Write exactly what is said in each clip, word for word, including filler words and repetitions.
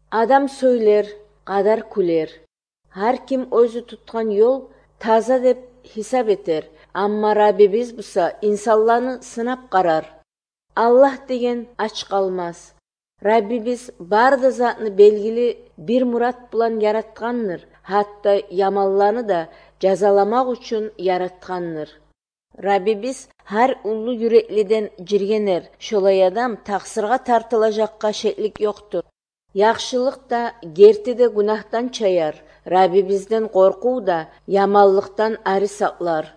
Адам сөйлер, кадар күлер. Ар ким өзү туткан жол таза деп хисап этер. Амма Раббибиз буса инсанларны сынап карар. Аллах деген ач калмас. Раббибиз барды затны белгили бир мурат билан яраткандыр. Хатта ямалланы да жазаламак үчүн яраткандыр. Раббибиз ар улуу юреклиден жиргенер. Шолай адам таксырга тартылажакка шеклик жоктур. Яхшылык да, керти де гунахтан чаяр. Раббибизден коркуу да ямаллыктан ары саклар.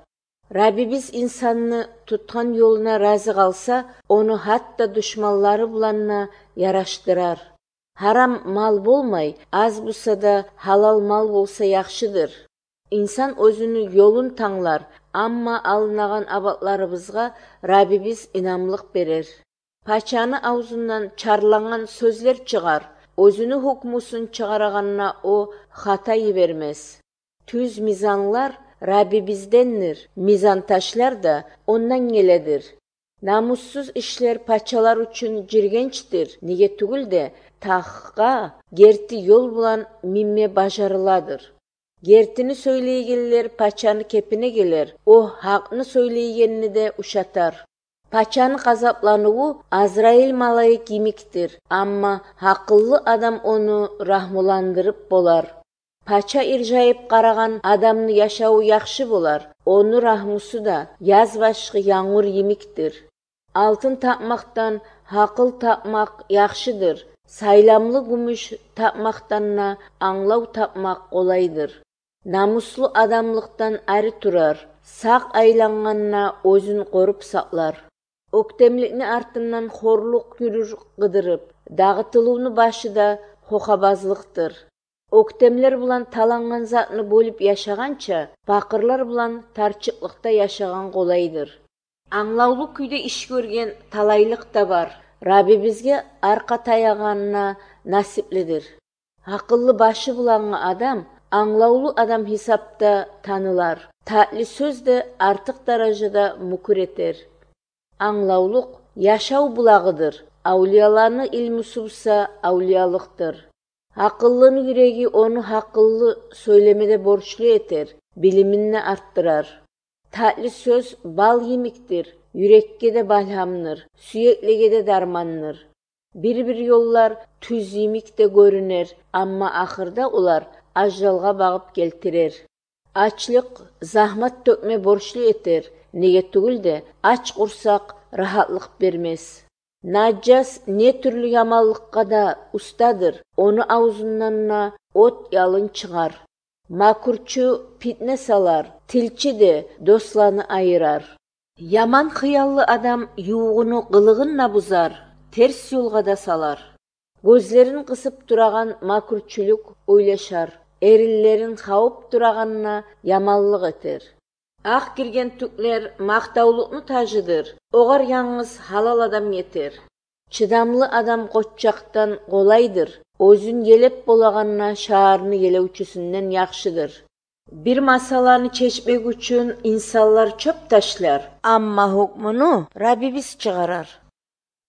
Раббибиз инсанны туткан жолуна разы калса, ону хатта душманлары буланна яраштырар. Харам мал болмай, аз булса да халал мал болса яхшыдыр. Инсан өзүнүн жолун таңлар, амма алынаган абатларыбызга Раббибиз инамлык берер. Пачаны аузунан чарланган сөзлөр чыгар. Өзүнүн хукмусун чыгараганына о хата бермес. Түз мизанлар Раббибизденdir. Мизан ташлар да ондан келедир. Намуссуз ишлер пачалар үчүн жиргенчтир. Неге түгүл де тахка керти жол булан мимме бажарыладыр. Кертини сөйлейгенлер пачаны кепине келер. О хакны сөйлейгенini де ушатар. Пачаны казаплануу Азраил малайык имиктир, амма акыллы адам ону рахмуландырып болар. Пача иржайып караган адамны яшауы яхшы болар. Ону рахмусу да яз башкы яңур имиктир. Алтын тапмактан акыл тапмак яхшыдыр. Сайламлы күмүш тапмактанна аңлау тапмак колайдыр. Намуслуу адамлыктан ары турар. Сак айланганына өзүн коруп саклар. Өктемликни артынан хорлук күрүр кыдырып, дагытылууну башыда хохабазлыктыр. Өктемлер булан таланган затны бөлүп яшаганча, бакырлар булан тарчыклыкта яшаган колайдыр. Аңлаулуу күйдө иш көрген талайлык да бар. Раббибизге арка таяганына насипледир. Акыллы башы булан адам, аңлаулуу адам хисапта танылар. Татли сөз де артык даражада мукур этер. Аңлаулук яшау булагыдыр. Аулияларны илми субса аулиялыктыр. Акыллынын юреги ону акыллы сөйлемеде борчулуу этер, билимине арттырар. Татли сөз бал емиктир, юрекке де балхамныр, сүйеклеге де дарманныр. Бир-бир жоллар түз емикте көрүнер, амма акырда улар ажалга багып келтирер. Ачлык захмат төкме борчулуу этер, неге түгүл де ач курсак рахатлык бермес. Нажас не түрлү ямаллыкка да устадыр, ону аузунан от ялын чыгар. Макурчу питне салар, тилчи де досланы айырар. Яман кыяллы адам юугуну кылыгын бузар, терс жолго да салар. Көзлерин кысып тураган макурчулук ойлошар, эриллерин кауып тураганына ямаллык этер. Ак кирген түклер мактаулукну тажыдыр, огар яңыз халал адам етер. Чыдамлы адам коччактан колайдыр, өзүн елеп болаганына шаарны елеучүсүнөн яхшыдыр. Бир масаланы чечпек үчүн инсанлар чөп ташлар, амма хукмуну Раббибиз чыгарар.